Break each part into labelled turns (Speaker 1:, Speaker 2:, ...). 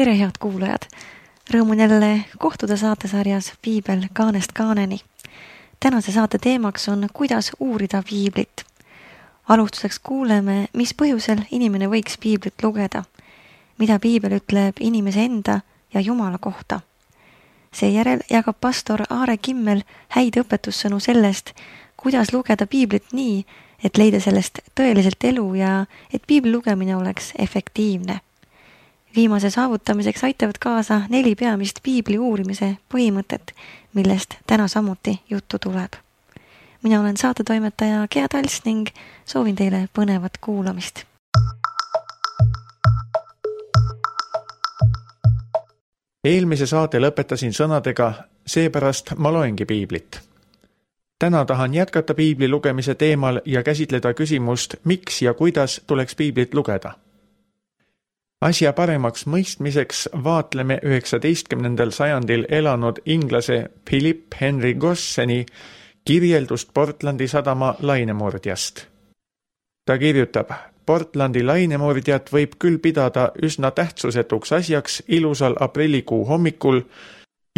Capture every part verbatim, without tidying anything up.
Speaker 1: Tere, head kuulajad! Rõõm on jälle kohtuda saatesarjas Piibel kaanest kaaneni. Tänase saate teemaks on, kuidas uurida piiblit. Alustuseks kuuleme, mis põhjusel inimene võiks piiblit lugeda, mida piibel ütleb inimese enda ja Jumala kohta. Seejärel jagab pastor Aare Kimmel häid õpetussõnu sellest, kuidas lugeda piiblit nii, et leida sellest tõeliselt elu ja et piibli lugemine oleks efektiivne. Viimase saavutamiseks aitavad kaasa neli peamist piibli uurimise põhimõtet, millest täna samuti juttu tuleb. Mina olen saatetoimetaja Gea Tals ning soovin teile põnevat kuulamist.
Speaker 2: Eelmise saate lõpetasin sõnadega, seepärast ma loengi piiblit. Täna tahan jätkata piibli lugemise teemal ja käsitleda küsimust, miks ja kuidas tuleks piiblit lugeda. Asja paremaks mõistmiseks vaatleme üheksateistkümnendal sajandil elanud inglase Philip Henry Gosseni kirjeldust Portlandi sadama lainemurdjast. Ta kirjutab, Portlandi lainemurdjat võib küll pidada üsna tähtsusetuks asjaks ilusal aprillikuu hommikul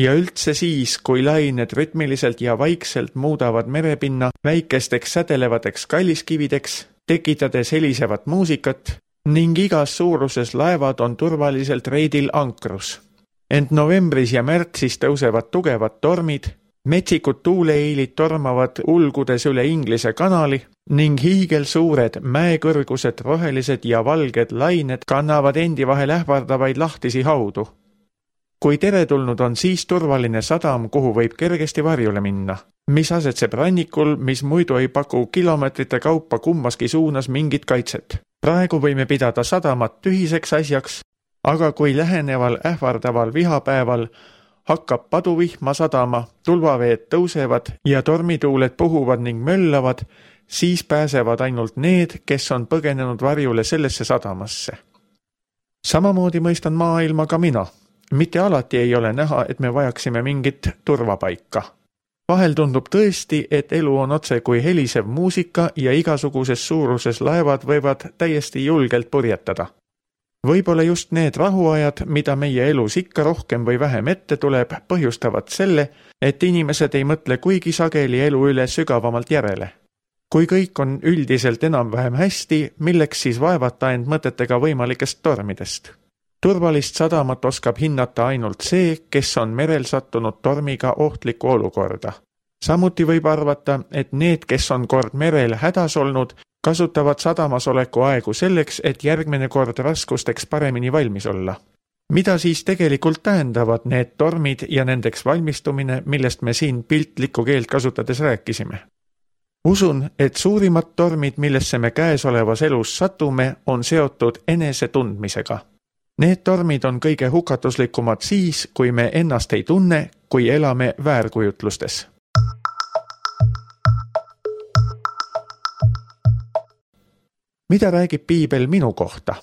Speaker 2: ja üldse siis, kui lained rütmiliselt ja vaikselt muudavad merepinna väikesteks sädelevateks kalliskivideks, tekitades helisevat muusikat, ning igas suuruses laevad on turvaliselt reidil ankrus. Ent novembris ja märtsis tõusevad tugevad tormid, metsikud tuuleiilid tormavad ulgudes üle Inglise kanali ning hiigelsuured mäekõrgused rohelised ja valged lained kannavad endi vahel ähvardavaid lahtisi haudu. Kui teretulnud on siis turvaline sadam, kuhu võib kergesti varjule minna, mis asetseb rannikul, mis muidu ei paku kilomeetrite kaupa kummaski suunas mingit kaitset. Praegu võime pidada sadamat tühiseks asjaks, aga kui läheneval ähvardaval vihapäeval hakkab paduvihma sadama, tulvaveed tõusevad ja tormituuled puhuvad ning möllavad, siis pääsevad ainult need, kes on põgenenud varjule sellesse sadamasse. Samamoodi mõistan maailma ka mina. Mitte alati ei ole näha, et me vajaksime mingit turvapaika. Vahel tundub tõesti, et elu on otse kui helisev muusika ja igasuguses suuruses laevad võivad täiesti julgelt purjetada. Võib-olla just need rahuajad, mida meie elus ikka rohkem või vähem ette tuleb, põhjustavad selle, et inimesed ei mõtle kuigi sageli elu üle sügavamalt järele. Kui kõik on üldiselt enam-vähem hästi, milleks siis vaevata end mõtetega võimalikest tormidest? Turvalist sadamat oskab hinnata ainult see, kes on merel sattunud tormiga ohtlikku olukorda. Samuti võib arvata, et need, kes on kord merel hädas olnud, kasutavad sadamas oleku aegu selleks, et järgmine kord raskusteks paremini valmis olla. Mida siis tegelikult tähendavad need tormid ja nendeks valmistumine, millest me siin piltlikku keelt kasutades rääkisime? Usun, et suurimad tormid, millesse me käesolevas elus satume, on seotud enese tundmisega. Need tormid on kõige hukatuslikumad siis, kui me ennast ei tunne, kui elame väärkujutlustes. Mida räägib piibel minu kohta?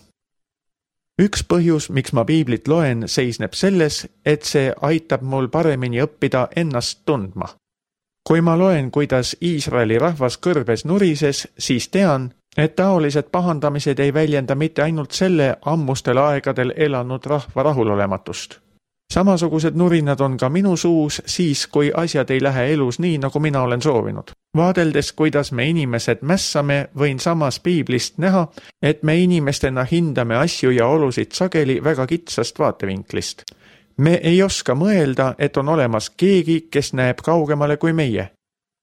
Speaker 2: Üks põhjus, miks ma piiblit loen, seisneb selles, et see aitab mul paremini õppida ennast tundma. Kui ma loen, kuidas Iisraeli rahvas kõrbes nurises, siis tean, et taolised pahandamised ei väljenda mitte ainult selle ammustel aegadel elanud rahva rahulolematust. Samasugused nurinad on ka minu suus siis, kui asjad ei lähe elus nii, nagu mina olen soovinud. Vaadeldes, kuidas me inimesed mässame, võin samas piiblist näha, et me inimestena hindame asju ja olusid sageli väga kitsast vaatevinklist. Me ei oska mõelda, et on olemas keegi, kes näeb kaugemale kui meie.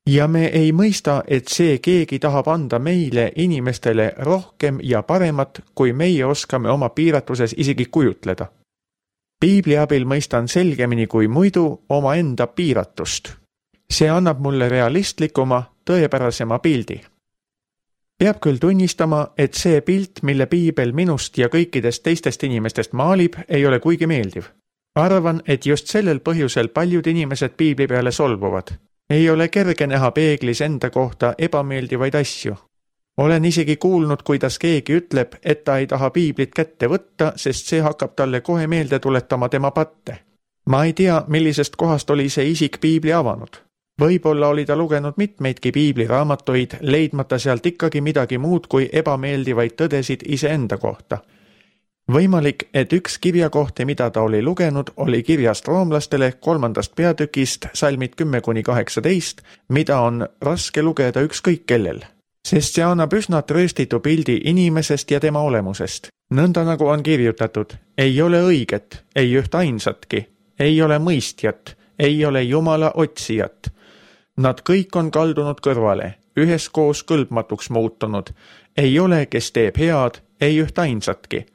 Speaker 2: Ja me ei mõista, et see keegi tahab anda meile inimestele rohkem ja paremat, kui meie oskame oma piiratuses isegi kujutleda. Piibli abil mõistan selgemini kui muidu oma enda piiratust. See annab mulle realistlikuma, tõepärasema pildi. Peab küll tunnistama, et see pilt, mille piibel minust ja kõikidest teistest inimestest maalib, ei ole kuigi meeldiv. Arvan, et just sellel põhjusel paljud inimesed piibli peale solvuvad. Ei ole kerge näha peeglis enda kohta ebameeldivaid asju. Olen isegi kuulnud, kuidas keegi ütleb, et ta ei taha piiblit kätte võtta, sest see hakkab talle kohe meelde tuletama tema patte. Ma ei tea, millisest kohast oli see isik piibli avanud. Võib-olla oli ta lugenud mitmeidki piibliraamatuid, leidmata sealt ikkagi midagi muud kui ebameeldivaid tõdesid iseenda kohta. Võimalik, et üks kirjakohti, mida ta oli lugenud, oli kirjast roomlastele kolmandast peatükist salmid kümme kuni kaheksateist, mida on raske lugeda ükskõik kellel, sest see annab üsna trööstitu pildi inimesest ja tema olemusest. Nõnda nagu on kirjutatud, ei ole õiget, ei üht ainsatki, ei ole mõistjat, ei ole Jumala otsijat. Nad kõik on kaldunud kõrvale, üheskoos kõlbmatuks muutunud, ei ole, kes teeb head, ei üht ainsatki.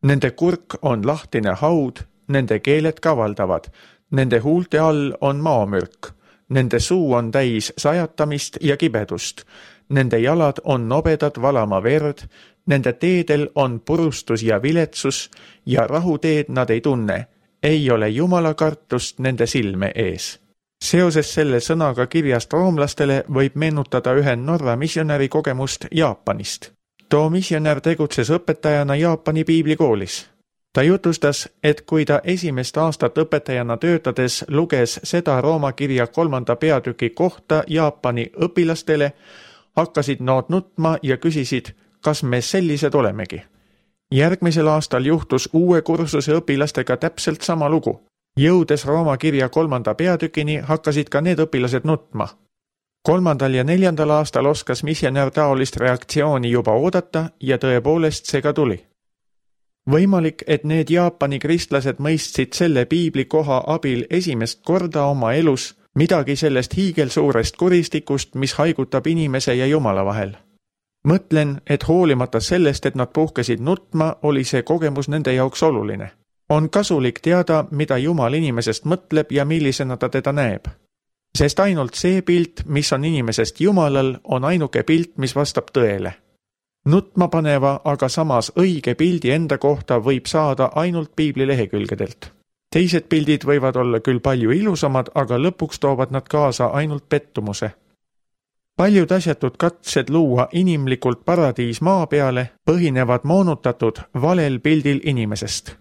Speaker 2: Nende kurk on lahtine haud, nende keeled kavaldavad, nende huulte all on maamürk, nende suu on täis sajatamist ja kibedust, nende jalad on nobedad valama verd, nende teedel on purustus ja viletsus ja rahuteed nad ei tunne, ei ole Jumala kartust nende silme ees. Seoses selle sõnaga kirjast roomlastele võib meenutada ühe Norra missionäri kogemust Jaapanist. Too missionär tegutses õpetajana Jaapani piiblikoolis. Ta jutustas, et kui ta esimest aastat õpetajana töötades luges seda Rooma kirja kolmanda peatüki kohta Jaapani õpilastele, hakkasid nad nutma ja küsisid, kas me sellised olemegi. Järgmisel aastal juhtus uue kursuse õpilastega täpselt sama lugu. Jõudes Rooma kirja kolmanda peatükini hakkasid ka need õpilased nutma. Kolmandal ja neljandal aastal oskas missionär taolist reaktsiooni juba oodata ja tõepoolest see ka tuli. Võimalik, et need Jaapani kristlased mõistsid selle piibli koha abil esimest korda oma elus midagi sellest hiigelsuurest kuristikust, mis haigutab inimese ja Jumala vahel. Mõtlen, et hoolimata sellest, et nad puhkesid nutma, oli see kogemus nende jaoks oluline. On kasulik teada, mida Jumal inimesest mõtleb ja millisena ta teda näeb. Sest ainult see pilt, mis on inimesest Jumalal, on ainuke pilt, mis vastab tõele. Nutma paneva, aga samas õige pildi enda kohta võib saada ainult piibli lehekülgedelt. Teised pildid võivad olla küll palju ilusamad, aga lõpuks toovad nad kaasa ainult pettumuse. Paljud asjatud katsed luua inimlikult paradiis maa peale põhinevad moonutatud valel pildil inimesest.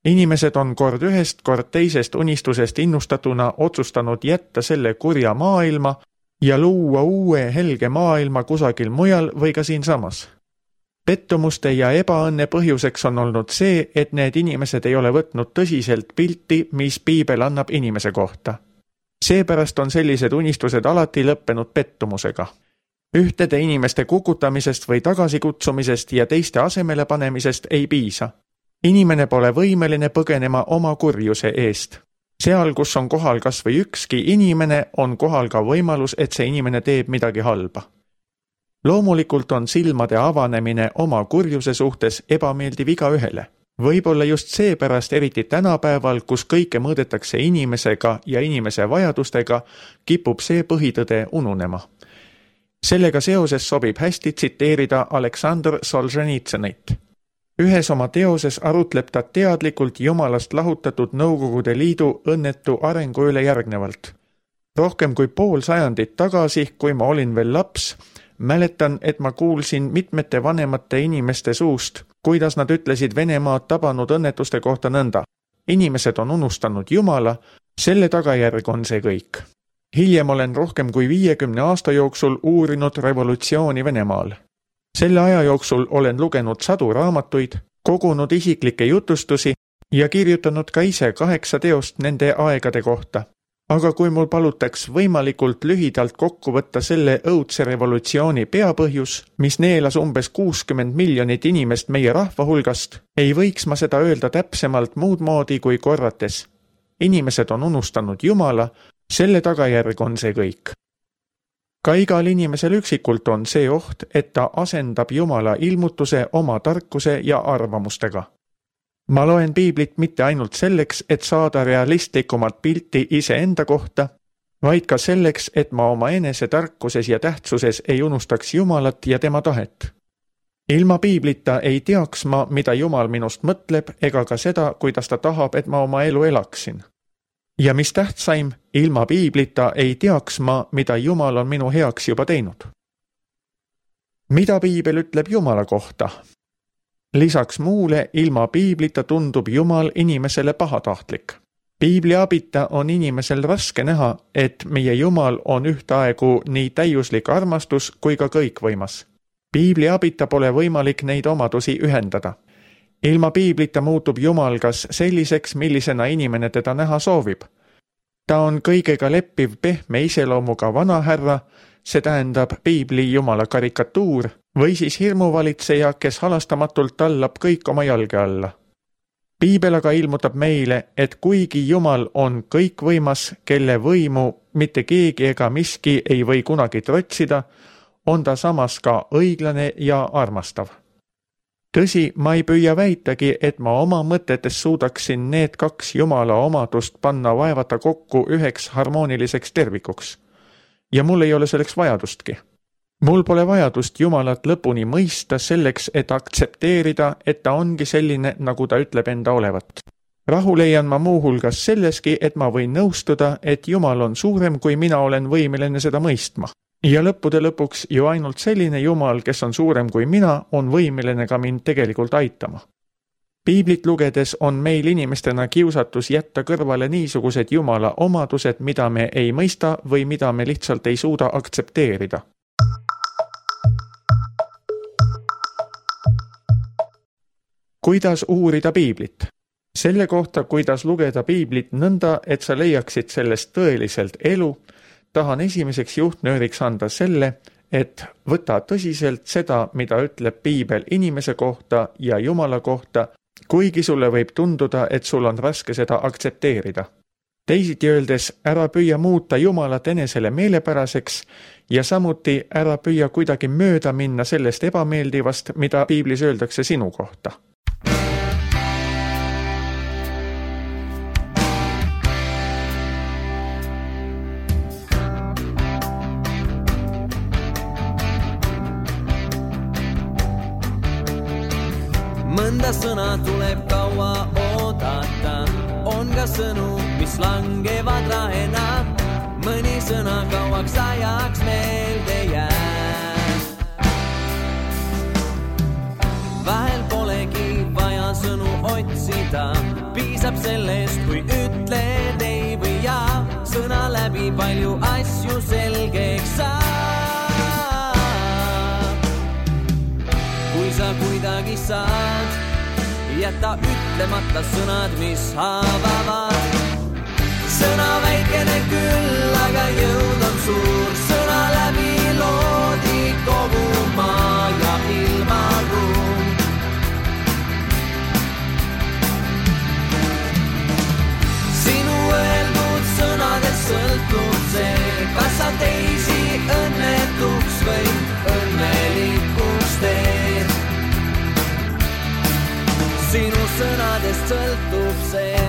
Speaker 2: Inimesed on kord ühest, kord teisest unistusest innustatuna otsustanud jätta selle kurja maailma ja luua uue helge maailma kusagil mujal või ka siinsamas. Pettumuste ja ebaõnne põhjuseks on olnud see, et need inimesed ei ole võtnud tõsiselt pilti, mis piibel annab inimese kohta. Seepärast on sellised unistused alati lõppenud pettumusega. Ühtede inimeste kukutamisest või tagasikutsumisest ja teiste asemele panemisest ei piisa. Inimene pole võimeline põgenema oma kurjuse eest. Seal, kus on kohal kas või ükski inimene, on kohal ka võimalus, et see inimene teeb midagi halba. Loomulikult on silmade avanemine oma kurjuse suhtes ebameeldiv igaühele. Võib-olla just seepärast eriti tänapäeval, kus kõike mõõdetakse inimesega ja inimese vajadustega, kipub see põhitõde ununema. Sellega seoses sobib hästi tsiteerida Aleksandr Solženitsõnit. Ühes oma teoses arutleb ta teadlikult Jumalast lahutatud Nõukogude Liidu õnnetu arengu üle järgnevalt. Rohkem kui pool sajandit tagasi, kui ma olin veel laps, mäletan, et ma kuulsin mitmete vanemate inimeste suust, kuidas nad ütlesid Venemaad tabanud õnnetuste kohta nõnda. Inimesed on unustanud Jumala, selle tagajärg on see kõik. Hiljem olen rohkem kui viiekümne aasta jooksul uurinud revolutsiooni Venemaal. Selle aja jooksul olen lugenud sadu raamatuid, kogunud isiklikke jutustusi ja kirjutanud ka ise kaheksa teost nende aegade kohta. Aga kui mul palutaks võimalikult lühidalt kokku võtta selle õudse revolutsiooni peapõhjus, mis neelas umbes kuuskümmend miljonit inimest meie rahva hulgast, ei võiks ma seda öelda täpsemalt muud moodi kui korrates. Inimesed on unustanud Jumala, selle tagajärg on see kõik. Ka igal inimesel üksikult on see oht, et ta asendab Jumala ilmutuse oma tarkuse ja arvamustega. Ma loen piiblit mitte ainult selleks, et saada realistlikumat pilti iseenda kohta, vaid ka selleks, et ma oma enese tarkuses ja tähtsuses ei unustaks Jumalat ja tema tahet. Ilma piiblita ei teaks ma, mida Jumal minust mõtleb, ega ka seda, kuidas ta tahab, et ma oma elu elaksin. Ja mis tähtsaim, ilma piiblita ei teaks ma, mida Jumal on minu heaks juba teinud. Mida piibel ütleb Jumala kohta? Lisaks muule, ilma piiblita tundub Jumal inimesele pahatahtlik. Piibli abita on inimesel raske näha, et meie Jumal on ühtaegu nii täiuslik armastus kui ka kõikvõimas. Piibli abita pole võimalik neid omadusi ühendada. Ilma piiblita muutub Jumal kas selliseks, millisena inimene teda näha soovib. Ta on kõigega leppiv pehme iseloomuga vanahärra, see tähendab piibli Jumala karikatuur, või siis hirmuvalitseja, kes halastamatult tallab kõik oma jalge alla. Piibel aga ilmutab meile, et kuigi Jumal on kõikvõimas, kelle võimu mitte keegi ega miski ei või kunagi trotsida, on ta samas ka õiglane ja armastav. Tõsi, ma ei püüa väitagi, et ma oma mõtetes suudaksin need kaks Jumala omadust panna vaevata kokku üheks harmooniliseks tervikuks. Ja mul ei ole selleks vajadustki. Mul pole vajadust Jumalat lõpuni mõista selleks, et aktsepteerida, et ta ongi selline, nagu ta ütleb enda olevat. Rahu leian ma muuhulgas selleski, et ma võin nõustuda, et Jumal on suurem, kui mina olen võimeline seda mõistma. Ja lõppude lõpuks ju ainult selline Jumal, kes on suurem kui mina, on võimeline ka mind tegelikult aitama. Piiblit lugedes on meil inimestena kiusatus jätta kõrvale niisugused Jumala omadused, mida me ei mõista või mida me lihtsalt ei suuda aktsepteerida. Kuidas uurida piiblit? Selle kohta, kuidas lugeda piiblit nõnda, et sa leiaksid sellest tõeliselt elu, tahan esimeseks juhtnööriks anda selle, et võta tõsiselt seda, mida ütleb piibel inimese kohta ja Jumala kohta, kuigi sulle võib tunduda, et sul on raske seda aktsepteerida. Teisiti öeldes, ära püüa muuta Jumalat enesele meelepäraseks ja samuti ära püüa kuidagi mööda minna sellest ebameeldivast, mida piiblis öeldakse sinu kohta.
Speaker 3: Mõnda sõna tuleb kaua oodata, on ka sõnu, mis langevad rahena, mõni sõna kauaks ajaks meelde jääb. Vahel polegi vaja sõnu otsida, piisab sellest, kui ütled ei või jaa, sõna läbi palju asju selgeks saab. Kui sa kuidagi saad, jäta ütlemata sõnad, mis haavavad. Sõna väikene küll, aga jõud on suur, sõna läbi loodi kogu maa ja ilmaruum. Sinu öeldud sõnadest sõltub see, kas sa teisi õnnetuks või õnnelikuks teed. Sinu sõnadest sõltub see.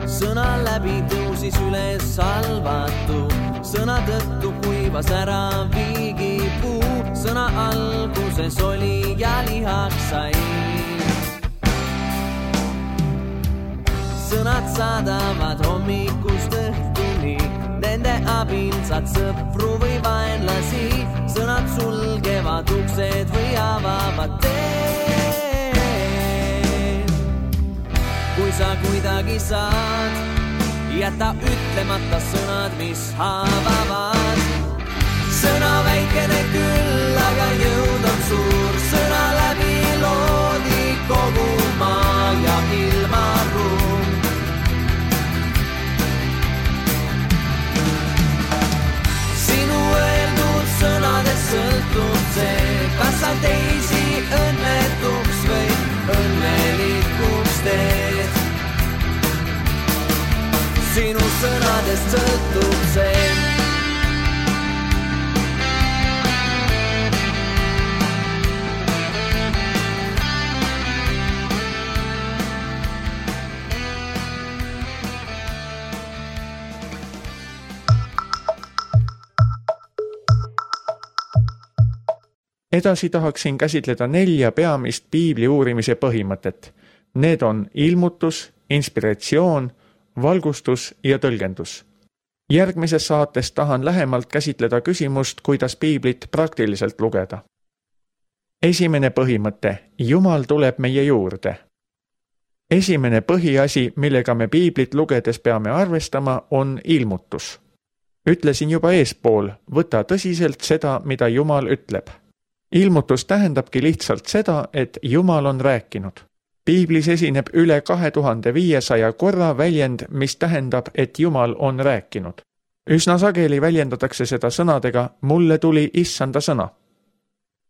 Speaker 3: Sõna läbi tõusis üles salvatu, sõna tõttu kuivas ära viigipuu, sõna alguses oli ja lihaks sai. Sõnad saadavad hommikust õhtuni, nende abil saad sõpru või vaenlasi, sõnad sulgevad uksed või avavad teed. Kui sa kuidagi saad, jäta ütlemata sõnad, mis haavavad. Sõna väikene küll, aga jõud on suur, sõna läbi loodi kogu maa ja ilmaruum. Sinu öeldud sõnadest sõltub see, kas sa teisi õnnetuks või õnnelikuks teed. Sinu sõnadest sõltub see.
Speaker 2: Edasi tahaksin käsitleda nelja peamist piibli uurimise põhimõtet. Need on ilmutus, inspiratsioon, valgustus ja tõlgendus. Järgmises saates tahan lähemalt käsitleda küsimust, kuidas piiblit praktiliselt lugeda. Esimene põhimõte, Jumal tuleb meie juurde. Esimene põhiasi, millega me piiblit lugedes peame arvestama, on ilmutus. Ütlesin juba eespool, võta tõsiselt seda, mida Jumal ütleb. Ilmutus tähendabki lihtsalt seda, et Jumal on rääkinud. Piiblis esineb üle kahe tuhande viiesaja korra väljend, mis tähendab, et Jumal on rääkinud. Üsna sageli väljendatakse seda sõnadega, mulle tuli issanda sõna.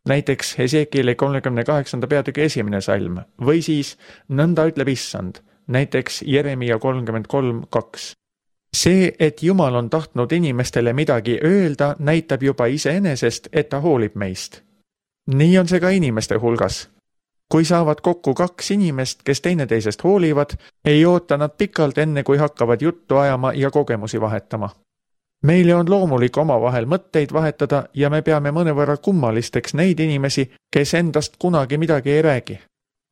Speaker 2: Näiteks Hesekieli kolmekümne kaheksanda peatüki esimene salm või siis nõnda ütleb issand, näiteks Jeremia kolmkümmend kolm kaks. See, et Jumal on tahtnud inimestele midagi öelda, näitab juba iseenesest, et ta hoolib meist. Nii on see ka inimeste hulgas. Kui saavad kokku kaks inimest, kes teineteisest hoolivad, ei oota nad pikalt enne, kui hakkavad juttu ajama ja kogemusi vahetama. Meile on loomulik omavahel mõtteid vahetada ja me peame mõnevõrra kummalisteks neid inimesi, kes endast kunagi midagi ei räägi.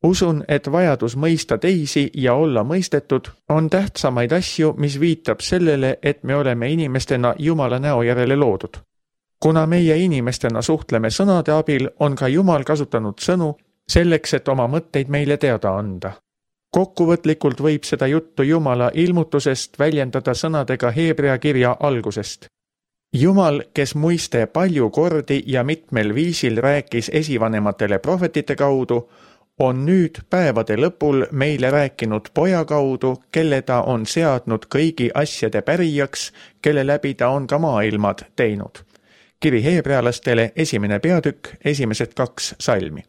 Speaker 2: Usun, et vajadus mõista teisi ja olla mõistetud on tähtsamaid asju, mis viitab sellele, et me oleme inimestena Jumala näo järele loodud. Kuna meie inimestena suhtleme sõnade abil, on ka Jumal kasutanud sõnu selleks, et oma mõtteid meile teada anda. Kokkuvõtlikult võib seda juttu Jumala ilmutusest väljendada sõnadega Heebrea kirja algusest. Jumal, kes muiste palju kordi ja mitmel viisil rääkis esivanematele prohvetite kaudu, on nüüd päevade lõpul meile rääkinud poja kaudu, kelle ta on seadnud kõigi asjade pärijaks, kelle läbi ta on ka maailmad teinud. Kiri heebrealastele esimene peatükk, esimesed kaks salmi.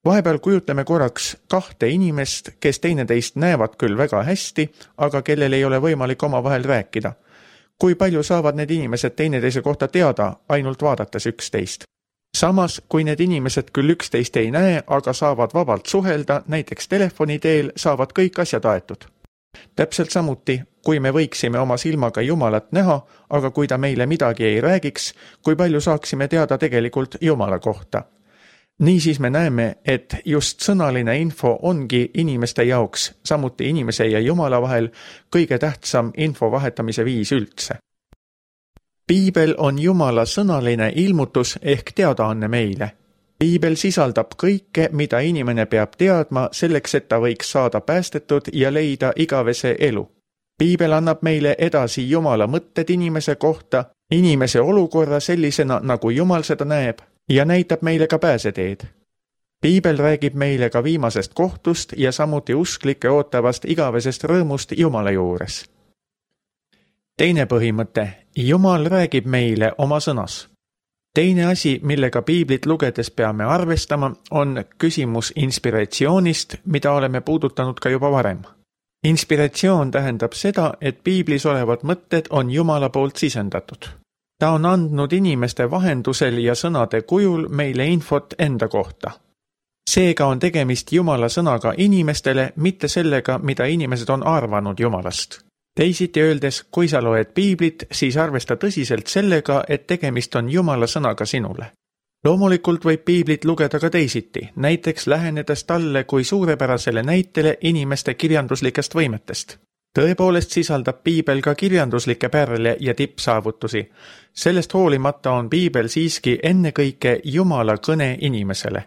Speaker 2: Vahepeal kujutleme korraks kahte inimest, kes teineteist näevad küll väga hästi, aga kellel ei ole võimalik omavahel rääkida. Kui palju saavad need inimesed teineteise kohta teada, ainult vaadates üksteist? Samas, kui need inimesed küll üksteist ei näe, aga saavad vabalt suhelda, näiteks telefoni teel, saavad kõik asjad aetud. Täpselt samuti, kui me võiksime oma silmaga Jumalat näha, aga kui ta meile midagi ei räägiks, kui palju saaksime teada tegelikult Jumala kohta. Niisiis me näeme, et just sõnaline info ongi inimeste jaoks, samuti inimese ja Jumala vahel, kõige tähtsam info vahetamise viis üldse. Piibel on Jumala sõnaline ilmutus ehk teadaanne meile. Piibel sisaldab kõike, mida inimene peab teadma selleks, et ta võiks saada päästetud ja leida igavese elu. Piibel annab meile edasi Jumala mõtted inimese kohta, inimese olukorra sellisena, nagu Jumal seda näeb, ja näitab meile ka pääseteed. Piibel räägib meile ka viimasest kohtust ja samuti usklike ootavast igavesest rõõmust Jumala juures. Teine põhimõte, Jumal räägib meile oma sõnas. Teine asi, millega Piiblit lugedes peame arvestama, on küsimus inspiratsioonist, mida oleme puudutanud ka juba varem. Inspiratsioon tähendab seda, et Piiblis olevad mõtted on Jumala poolt sisendatud. Ta on andnud inimeste vahendusel ja sõnade kujul meile infot enda kohta. Seega on tegemist Jumala sõnaga inimestele, mitte sellega, mida inimesed on arvanud Jumalast. Teisiti öeldes, kui sa loed Piiblit, siis arvesta tõsiselt sellega, et tegemist on Jumala sõnaga sinule. Loomulikult võib Piiblit lugeda ka teisiti, näiteks lähenedes talle kui suurepärasele näitele inimeste kirjanduslikest võimetest. Tõepoolest sisaldab Piibel ka kirjanduslikke pärle ja tippsaavutusi. Sellest hoolimata on Piibel siiski ennekõike Jumala kõne inimesele.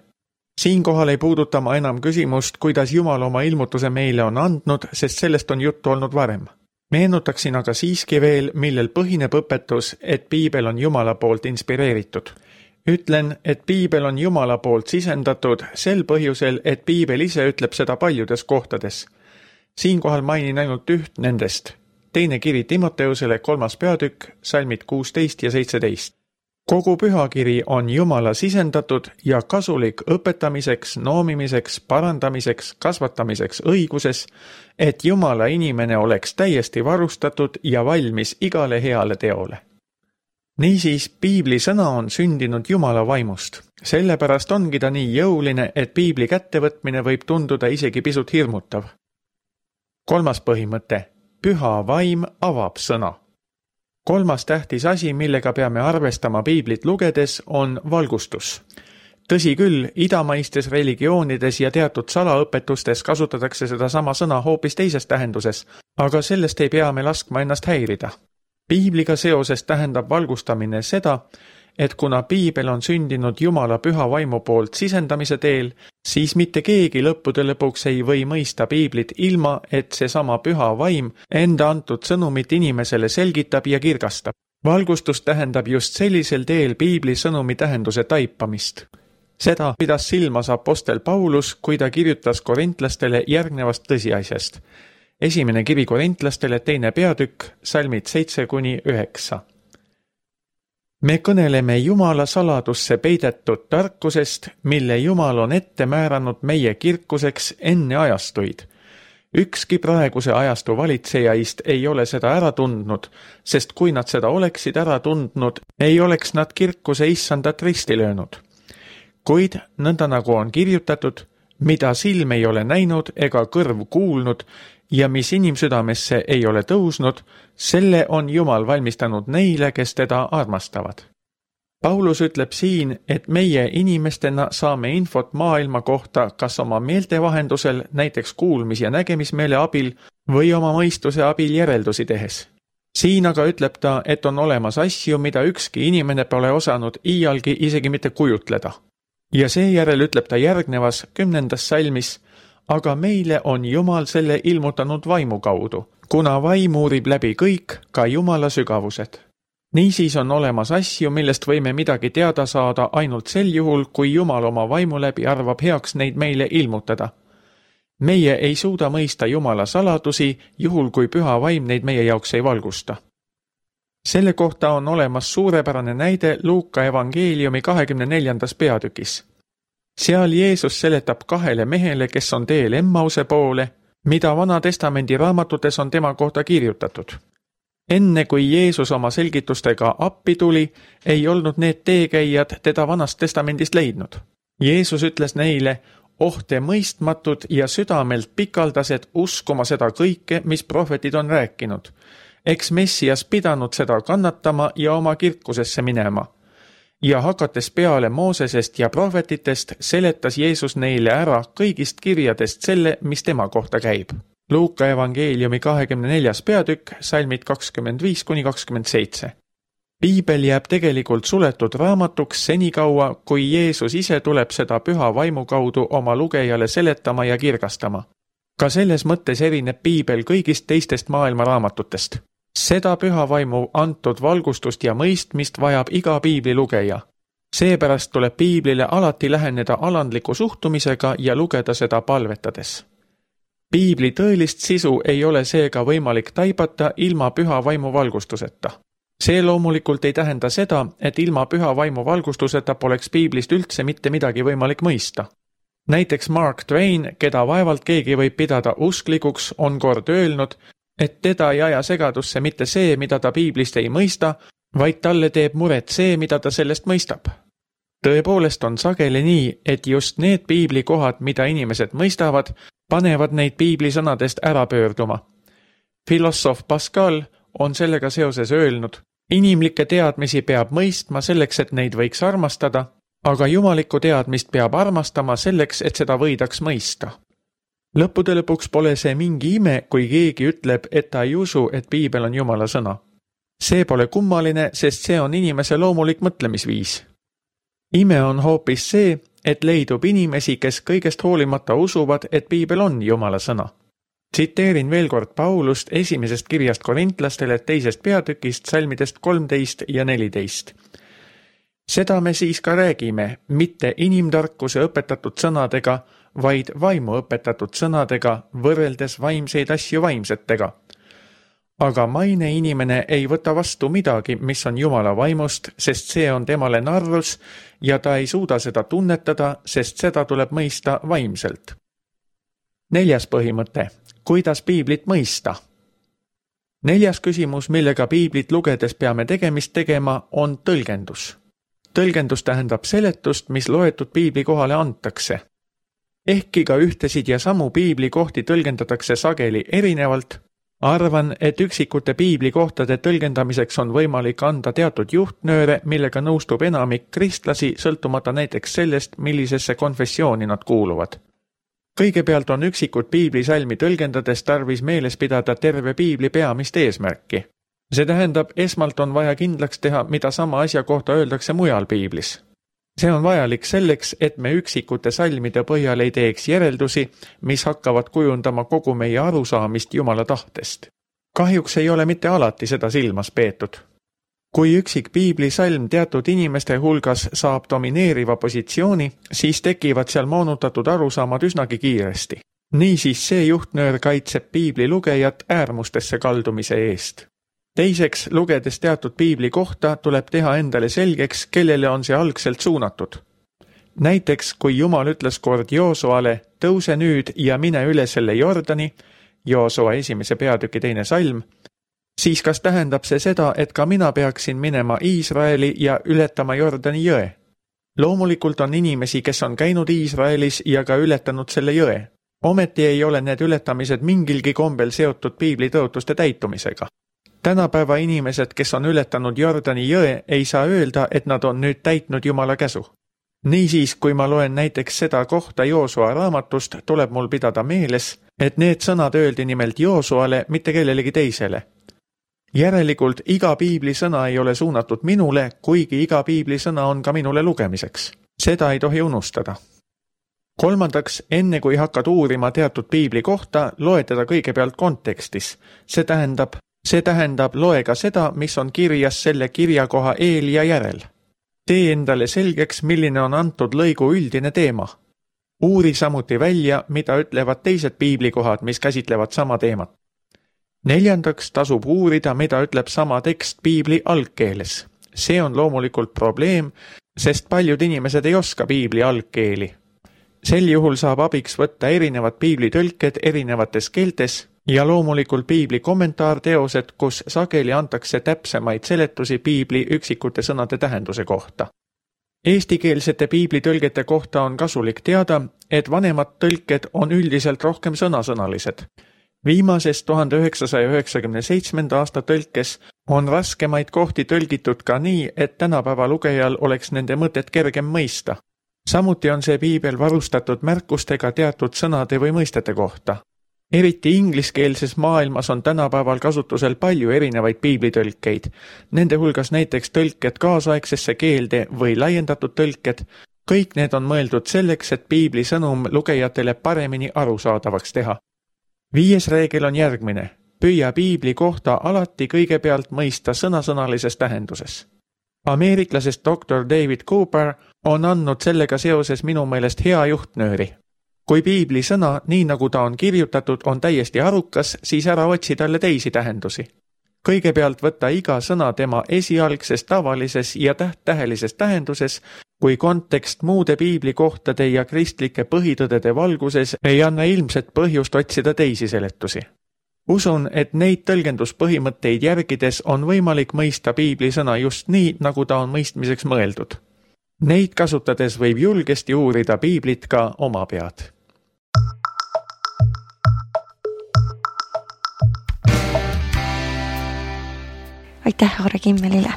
Speaker 2: Siinkohal ei puuduta ma enam küsimust, kuidas Jumal oma ilmutuse meile on andnud, sest sellest on juttu olnud varem. Meenutaksin aga siiski veel, millel põhineb õpetus, et Piibel on Jumala poolt inspireeritud. Ütlen, et Piibel on Jumala poolt sisendatud sel põhjusel, et Piibel ise ütleb seda paljudes kohtades. Siinkohal mainin ainult üht nendest. Teine kiri Timoteusele kolmas peatükk, salmid kuusteist ja seitseteist. Kogu pühakiri on Jumala sisendatud ja kasulik õpetamiseks, noomimiseks, parandamiseks, kasvatamiseks õiguses, et Jumala inimene oleks täiesti varustatud ja valmis igale heale teole. Niisiis, Piibli sõna on sündinud Jumala vaimust. Sellepärast ongi ta nii jõuline, et Piibli kättevõtmine võib tunduda isegi pisut hirmutav. Kolmas põhimõte. Püha vaim avab sõna. Kolmas tähtis asi, millega peame arvestama Piiblit lugedes, on valgustus. Tõsi küll, idamaistes religioonides ja teatud salaõpetustes kasutatakse seda sama sõna hoopis teises tähenduses, aga sellest ei pea me laskma ennast häirida. Piibliga seoses tähendab valgustamine seda, et kuna piibel on sündinud Jumala püha vaimu poolt sisendamise teel, siis mitte keegi lõppude lõpuks ei või mõista piiblit ilma, et seesama püha vaim enda antud sõnumit inimesele selgitab ja kirgastab. Valgustus tähendab just sellisel teel piibli sõnumi tähenduse taipamist. Seda pidas silmas apostel Paulus, kui ta kirjutas korintlastele järgnevast tõsiasjast. Esimene kiri korintlastele, teine peatükk, salmid seitse kuni üheksa. Me kõneleme Jumala saladusse peidetud tarkusest, mille Jumal on ette määranud meie kirkuseks enne ajastuid. Ükski praeguse ajastu valitsejaist ei ole seda ära tundnud, sest kui nad seda oleksid ära tundnud, ei oleks nad kirkuse issandat risti löönud. Kuid nõnda nagu on kirjutatud, mida silm ei ole näinud ega kõrv kuulnud ja mis inimsüdamesse ei ole tõusnud, selle on Jumal valmistanud neile, kes teda armastavad. Paulus ütleb siin, et meie inimestena saame infot maailma kohta kas oma meelte vahendusel, näiteks kuulmis- ja nägemismeele abil, või oma mõistuse abil järeldusi tehes. Siin aga ütleb ta, et on olemas asju, mida ükski inimene pole osanud iialgi isegi mitte kujutleda. Ja seejärel ütleb ta järgnevas kümnendas salmis, aga meile on Jumal selle ilmutanud vaimu kaudu, kuna vaim uurib läbi kõik, ka Jumala sügavused. Niisiis on olemas asju, millest võime midagi teada saada ainult sel juhul, kui Jumal oma vaimu läbi arvab heaks neid meile ilmutada. Meie ei suuda mõista Jumala saladusi, juhul kui püha vaim neid meie jaoks ei valgusta. Selle kohta on olemas suurepärane näide Luuka evangeeliumi kahekümne neljandas peatükis. Seal Jeesus seletab kahele mehele, kes on teel Emmause poole, mida Vana Testamendi raamatutes on tema kohta kirjutatud. Enne kui Jeesus oma selgitustega appi tuli, ei olnud need teekäijad teda Vanast Testamendist leidnud. Jeesus ütles neile, oh te mõistmatud ja südamelt pikaldased uskuma seda kõike, mis prohvetid on rääkinud. Eks Messias pidanud seda kannatama ja oma kirkusesse minema. Ja hakates peale Moosesest ja prohvetitest, seletas Jeesus neile ära kõigist kirjadest selle, mis tema kohta käib. Luuka evangeeliumi kahekümne neljas peatükk, salmid kakskümmend viis kuni kakskümmend seitse. Piibel jääb tegelikult suletud raamatuks senikaua, kui Jeesus ise tuleb seda püha vaimu kaudu oma lugejale seletama ja kirgastama. Ka selles mõttes erineb Piibel kõigist teistest maailma raamatutest. Seda püha vaimu antud valgustust ja mõistmist vajab iga piibli lugeja. Seepärast tuleb piiblile alati läheneda alandliku suhtumisega ja lugeda seda palvetades. Piibli tõelist sisu ei ole seega võimalik taibata ilma püha vaimu valgustuseta. See loomulikult ei tähenda seda, et ilma püha vaimu valgustuseta poleks piiblist üldse mitte midagi võimalik mõista. Näiteks Mark Twain, keda vaevalt keegi võib pidada usklikuks, on kord öelnud, et teda ei aja segadusse mitte see, mida ta piiblist ei mõista, vaid talle teeb muret see, mida ta sellest mõistab. Tõepoolest on sageli nii, et just need piiblikohad, mida inimesed mõistavad, panevad neid piibli sõnadest ära pöörduma. Filosoof Pascal on sellega seoses öelnud, inimlikke teadmisi peab mõistma selleks, et neid võiks armastada, aga jumalikku teadmist peab armastama selleks, et seda võidaks mõista. Lõppude lõpuks pole see mingi ime, kui keegi ütleb, et ta ei usu, et piibel on Jumala sõna. See pole kummaline, sest see on inimese loomulik mõtlemisviis. Ime on hoopis see, et leidub inimesi, kes kõigest hoolimata usuvad, et piibel on Jumala sõna. Tsiteerin veel kord Paulust esimesest kirjast korintlastele teisest peatükist salmidest kolmteist ja neliteist. Seda me siis ka räägime, mitte inimtarkuse õpetatud sõnadega, vaid vaimu õpetatud sõnadega, võrreldes vaimseid asju vaimsetega. Aga maine inimene ei võta vastu midagi, mis on Jumala vaimust, sest see on temale narrus ja ta ei suuda seda tunnetada, sest seda tuleb mõista vaimselt. Neljas põhimõte. Kuidas piiblit mõista? Neljas küsimus, millega piiblit lugedes peame tegemist tegema, on tõlgendus. Tõlgendus tähendab seletust, mis loetud piibli kohale antakse. Ehkki ka ühtesid ja samu piibli kohti tõlgendatakse sageli erinevalt, arvan, et üksikute piibli kohtade tõlgendamiseks on võimalik anda teatud juhtnööre, millega nõustub enamik kristlasi, sõltumata näiteks sellest, millisesse konfessiooni nad kuuluvad. Kõigepealt on üksikut piiblisalmi tõlgendades tarvis meeles pidada terve piibli peamist eesmärki. See tähendab, esmalt on vaja kindlaks teha, mida sama asja kohta öeldakse mujal piiblis. See on vajalik selleks, et me üksikute salmide põhjal ei teeks järeldusi, mis hakkavad kujundama kogu meie arusaamist Jumala tahtest. Kahjuks ei ole mitte alati seda silmas peetud. Kui üksik piiblisalm teatud inimeste hulgas saab domineeriva positsiooni, siis tekivad seal moonutatud arusaamad üsnagi kiiresti. Niisiis see juhtnöör kaitseb piibli lugejat äärmustesse kaldumise eest. Teiseks, lugedes teatud piibli kohta, tuleb teha endale selgeks, kellele on see algselt suunatud. Näiteks, kui Jumal ütles kord Joosuale, tõuse nüüd ja mine üle selle Jordani, Joosua esimese peatüki teine salm, siis kas tähendab see seda, et ka mina peaksin minema Iisraeli ja ületama Jordani jõe? Loomulikult on inimesi, kes on käinud Iisraelis ja ka ületanud selle jõe. Ometi ei ole need ületamised mingilgi kombel seotud piibli tõotuste täitumisega. Tänapäeva inimesed, kes on ületanud Jordani jõe, ei saa öelda, et nad on nüüd täitnud Jumala käsu. Niisiis, kui ma loen näiteks seda kohta Joosua raamatust, tuleb mul pidada meeles, et need sõnad öeldi nimelt Joosuale, mitte kellelegi teisele. Järelikult iga piibli sõna ei ole suunatud minule, kuigi iga piibli sõna on ka minule lugemiseks. Seda ei tohi unustada. Kolmandaks, enne kui hakkad uurima teatud piibli kohta, loe teda kõigepealt kontekstis. See tähendab, see tähendab loe ka seda, mis on kirjas selle kirjakoha eel ja järel. Tee endale selgeks, milline on antud lõigu üldine teema. Uuri samuti välja, mida ütlevad teised piiblikohad, mis käsitlevad sama teemat. Neljandaks tasub uurida, mida ütleb sama tekst piibli algkeeles. See on loomulikult probleem, sest paljud inimesed ei oska piibli algkeeli. Sel juhul saab abiks võtta erinevad piiblitõlked erinevates keeltes ja loomulikult piibli kommentaarteosed, kus sageli antakse täpsemaid seletusi piibli üksikute sõnade tähenduse kohta. Eestikeelsete piiblitõlgete kohta on kasulik teada, et vanemad tõlked on üldiselt rohkem sõnasõnalised. Viimases tuhande üheksasaja üheksakümne seitsmenda aasta tõlkes on raskemaid kohti tõlgitud ka nii, et tänapäeva lugejal oleks nende mõtet kergem mõista. Samuti on see piibel varustatud märkustega teatud sõnade või mõistete kohta. Eriti ingliskeelses maailmas on tänapäeval kasutusel palju erinevaid piiblitõlkeid. Nende hulgas näiteks tõlked kaasaegsesse keelde või laiendatud tõlked. Kõik need on mõeldud selleks, et piibli sõnum lugejatele paremini arusaadavaks teha. Viies reegel on järgmine. Püüa piibli kohta alati kõigepealt mõista sõnasõnalises tähenduses. Ameeriklasest doktor David Cooper on andnud sellega seoses minu meelest hea juhtnööri. Kui piibli sõna, nii nagu ta on kirjutatud, on täiesti arukas, siis ära otsi talle teisi tähendusi. Kõigepealt võtta iga sõna tema esialgses, tavalises ja täht-tähelises tähenduses, kui kontekst muude piiblikohtade ja kristlike põhitõdede valguses ei anna ilmset põhjust otsida teisi seletusi. Usun, et neid tõlgenduspõhimõtteid järgides on võimalik mõista piibli sõna just nii, nagu ta on mõistmiseks mõeldud. Neid kasutades võib julgesti uurida piiblit ka oma pead.
Speaker 1: Aitäh Aare Kimmelile!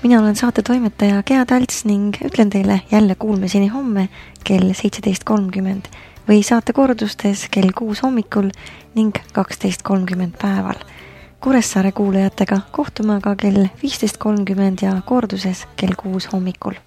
Speaker 1: Mina olen saate toimetaja Gea Talts ning ütlen teile jälle kuulmiseni homme kell seitseteist kolmkümmend või saate kordustes kell kuus hommikul ning kaksteist kolmkümmend päeval. Kuressaare kuulajatega kohtume aga kell viisteist kolmkümmend ja korduses kell kuus hommikul.